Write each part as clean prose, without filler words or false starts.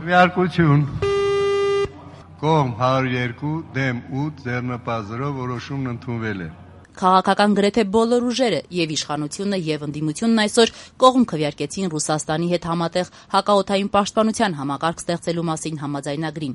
Քվեարկություն։ Կողմ 102 դեմ 8 ձեռնպազրով որոշումն ընդունվել է։ Քաղաքական գրեթե բոլոր ուժերը եւ իշխանությունը եւ ընդդիմությունն այսօր կողմ քվեարկեցին Ռուսաստանի հետ համատեղ հակաօդային պաշտպանության համակարգ ստեղծելու մասին համաձայնագրին։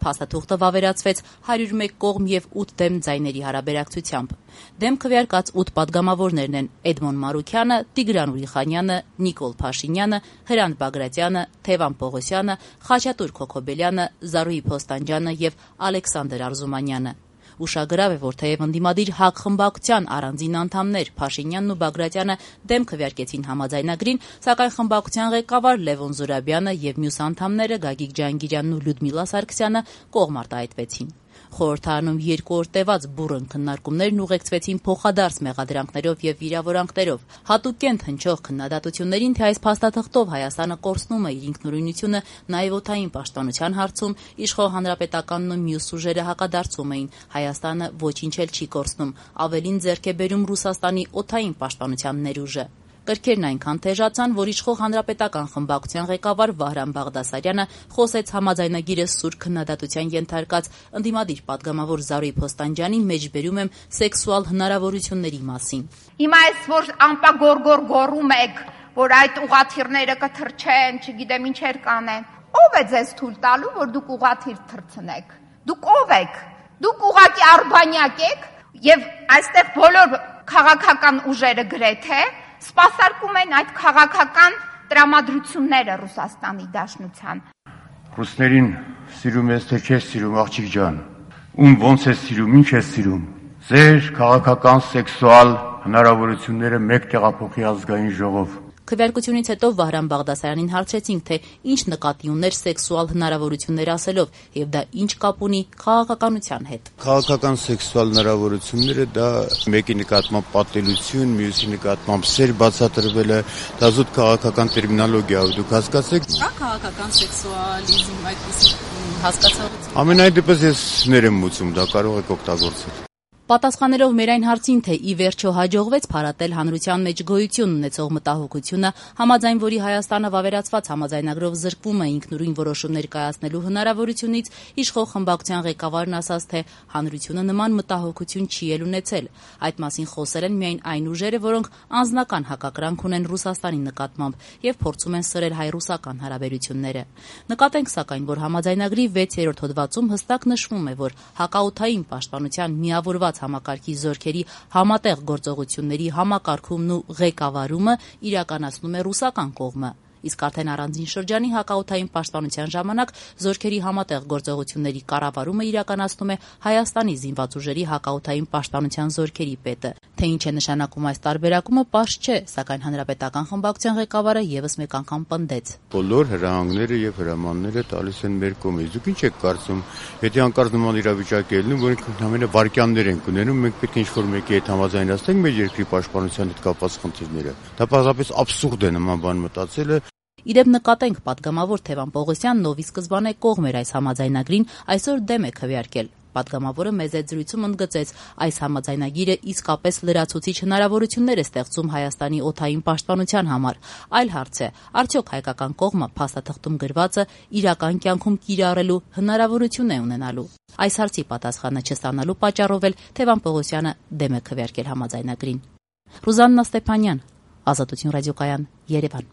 Փաստաթուղթը վավերացվեց 101 կողմ եւ 8 դեմ ձայների հարաբերակցությամբ։ Դեմ քվեարկած 8 падգամավորներն են Էդմոն Մարուքյանը, Տիգրան Ուրիխանյանը, Նիկոլ Փաշինյանը, Հրանտ Բագրատյանը, Թևան Պողոսյանը, Խաչատուր Քոքոբելյանը, Զարուհի Փոստանջյանը եւ Ալեքսանդր Արզումանյանը։ Ուշագրավ է, որ թեև ընդդիմադիր ՀԱԿ խմբակցության առանձին անդամներ Փաշինյանն ու Բագրատյանը դեմ քվեարկեցին համաձայնագրին, սակայն խմբակցության ղեկավար Լևոն Զուրաբյանը եւ մյուս անդամները Գագիկ Ջանգիրյանն ու Լյուդմիլա Սարգսյանը կողմ արտահայտվեցին։ Խորհրդարանում 2 օր տևած բուռն քննարկումներն ուղեկցվեցին փոխադարձ մեղադրանքներով եւ վիրավորանքներով։ Հատուկենտ հնչող քննադատություններին, թե այս փաստաթղթով Հայաստանը կորցնում է իր ինքնուրույնությունը նաեւ օդային պաշտպանության հարցում, իշխող հանրապետականն ու մյուս ուժերը հակադարձում էին։ Հայաստանը ոչինչ էլ չի կորցնում, ավելին ձեռք է բերում Ռուսաստանի օդային պաշտպանության ներուժը։ Կրքերն այնքան թեժացան, որ իշխող հանրապետական խմբակցության ղեկավար Վահրամ Բաղդասարյանը խոսեց համաձայնագիրը սուր քննադատության ենթարկած ընդդիմադիր падգամավոր Զարուհի Փոստանջյանին մեջբերում եմ սեքսուալ հնարավորությունների մասին։ Հիմա այս որ ամպագորգոր գոռում եք, որ այդ ուղաթիռները կթռչեն, չգիտեմ ինչեր կանեն։ Ո՞վ է ձեզ թույլ տալու, որ դուք ուղաթիռ թռցնեք։ Դուք ո՞վ եք։ Դուք ուղղակի արբանյակ եք եւ այստեղ բոլոր քաղաքական ուժերը գրեթե սպասարկում են այդ քաղաքական տրամադրությունները Ռուսաստանի Դաշնության։ Ռուսներին սիրում ես թե չես սիրում, աղջիկ ջան։ Ում ոնց ես սիրում, ինչ ես սիրում։ Ձեր քաղաքական սեքսուալ հնարավորությունները մեկ տեղափոխի ազգային ժողով։ Քվեարկությունից հետո Վահրամ Բաղդասարյանին հարցրեցինք, թե ինչ նկատի ուներ սեքսուալ հնարավորություններ ասելով եւ դա ինչ կապ ունի քաղաքականության հետ։ Քաղաքական սեքսուալ հնարավորությունները դա մեկի նկատմամբ պատելություն, մյուսի նկատմամբ սեր բացատրվելը, դա զուտ քաղաքական տերմինոլոգիա է, դուք հասկացեք։ Կա քաղաքական սեքսուալիզմ այդպիսի հասկացողություն։ Ամենայն դեպս ես ներեմ մուծում, դա կարող եք օգտագործել։ Պատասխանելով մեր այն հարցին, թե ի վերջո հաջողվեց փարատել հանրության մեջ գոյություն ունեցող մտահոգությունը, համաձայն որի Հայաստանը վավերացված համաձայնագրով զրկվում է ինքնուրույն որոշումներ կայացնելու հնարավորությունից, իշխող խմբակցության ղեկավարն ասաց, թե հանրությունը նման մտահոգություն չի էլ ունեցել։ Այդ մասին խոսել են միայն այն ուժերը, որոնք անձնական հակակրանք ունեն Ռուսաստանի նկատմամբ եւ փորձում են սրել հայ-ռուսական հարաբերությունները։ Նկատենք սակայն, որ համաձայնագրի 6-րդ հոդվածում հստակ նշվում է, որ հակաօդային պաշտպանության միավորված համակարգի զորքերի համատեղ գործողությունների համակարգումն ու ղեկավարումը իրականացնում է ռուսական կողմը։ Իսկ արդեն առանձին շրջանի հակաօդային պաշտպանության ժամանակ զորքերի համատեղ գործողությունների կառավարումը իրականացնում է Հայաստանի զինված ուժերի հակաօդային պաշտպանության զորքերի պետը։ Թե ինչ է նշանակում այս տարբերակումը, պարզ չէ, սակայն հանրապետական խմբակցության ղեկավարը եւս մեկ անգամ պնդեց։ Բոլոր հրահանգները եւ հրամանները տալիս են մեր կողմից։ Դուք ինչ եք կարծում, եթե անկարծ նման իրավիճակ է լինում, որ ընդհանրապես վարկյաններ են ունենում, մենք պետք է ինչ-որ մեկի հետ համաձայնացնենք մեր երկրի պաշտպանության հետ կապված խնդիրները։ Դա պարզապես աբսուրդ է նման բան մտածելը։ Իդեպ նկատենք, падգամավոր Թևան Պողոսյանն, ով ի սկզբանե կողմ էր այս համաձայնագրին, այսօր դեմ է քվեարկել։ Падգամավորը մեծ զրույցում ընդգծեց, այս համաձայնագիրը իսկապես լրացուցիչ հնարավորություններ է ստեղծում Հայաստանի օդային պաշտպանության համար։ Այլ հարց է, արդյոք հայկական կողմը փաստաթղթում գրվածը իրական կյանքում կիրառելու հնարավորություն է ունենալու։ Այս հարցի պատասխանը չստանալու պատճառով էլ Թևան Պողոսյանը դեմ է քվեարկել համաձայնագրին։ Ռուզաննա Ստեփանյան, Ազատություն ռադիոկայան, Երևան։